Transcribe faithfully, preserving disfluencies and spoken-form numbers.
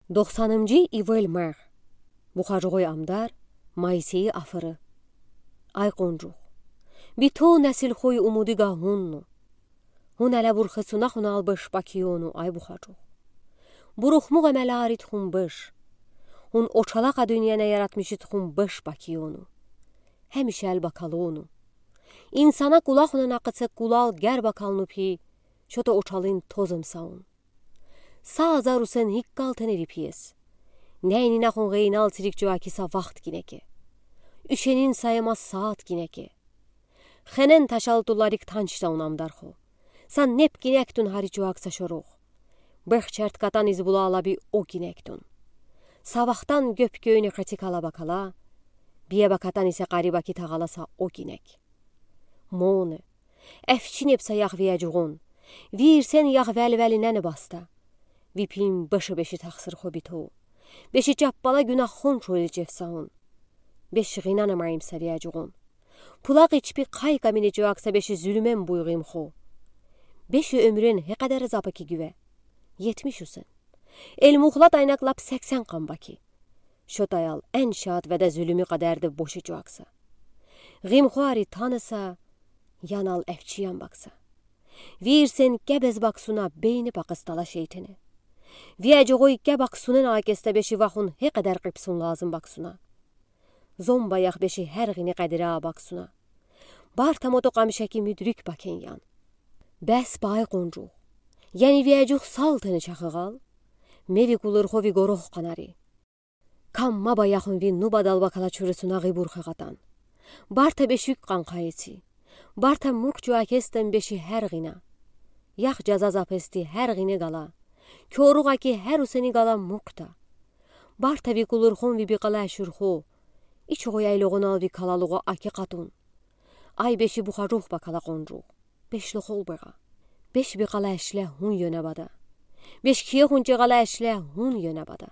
Доқсанынҷы ивел мех. Бухажуғой амдар, Моисейи афыры. Ай Къонжух, биту несилхой умуди га хунну. Хун эле бурхесуна хунал беш бакиону, ай Бухажух. Бурхмуғ эмелярид хун беш. Хун очалақа дуниене яратмишид хун беш бакиону. Хемишел бакалуну. Инсана кулахунен акъыце кулал гер бакалну пи, шото очалын тозым саун. Са азар усен иккал тенери пиес. Нейнина хун гъейнал цирик чуаки са вахт гинеке. Ушенин саема саат гинеке. Хенен ташал туларик танчтаун амдархо. Са неп гинектун хари чуакса шорух. Бех черткатан из булала би о гинектун. Са вахтан гёп кёйни хатикала бакала, бие бакатан исе къари баки тағала са о гинек. Моне, эфчи неп са ях вияҷуғун. Вирсен ях вели-велинен баста. Ви пим беши-беши тахсырхо биту. Беши чаппала гюнахун чойличев саун. Беши гъинана майым са вияҷуғун. Пулақ ичпи қай камини чуакса беши зюлюмен буйғимхо. Беши омюрен хе къадар запаки гюве? Етмиш усен. Эл мухлат айнак лап сексен къам баки. Шот аял эн шат веде зюлюми къадарди боши чуакса. Гъимхуари танаса, янал эфчиян бакса. Вирсен кебез баксуна бейни пақыстала шейтене. Вияҷуғой ке баксунен акесте беши вахун хе къадар къипсун лазым баксуна. Зомба ях беши хер гъини къедира баксуна. Барта мото къамишеки мюдрик бакен ян. Бес бай Къонжух. Яни вияҷух салтени чахығал. Меви кулырхо ви горох къанари. Кам ма баяхун ви нубадал бакала чуресуна гъибур хеғатан. Барта бешик къанқайеци. Барта мук чуакестен беши хер гъина. Ях жаза запести хер гъине гала. Кёруғаки хер усени гала мукта. Барта ви кулырхон ви биқала ашурхо. Ичуғо яйлуғунал ви калалуғо аки къатун. Ай беши Бухажух бакала Къонжух. Бешлохол беға. Беш биқала ашле хун ёна бада. Беш кие хунчеғала ашле хун ёна бада.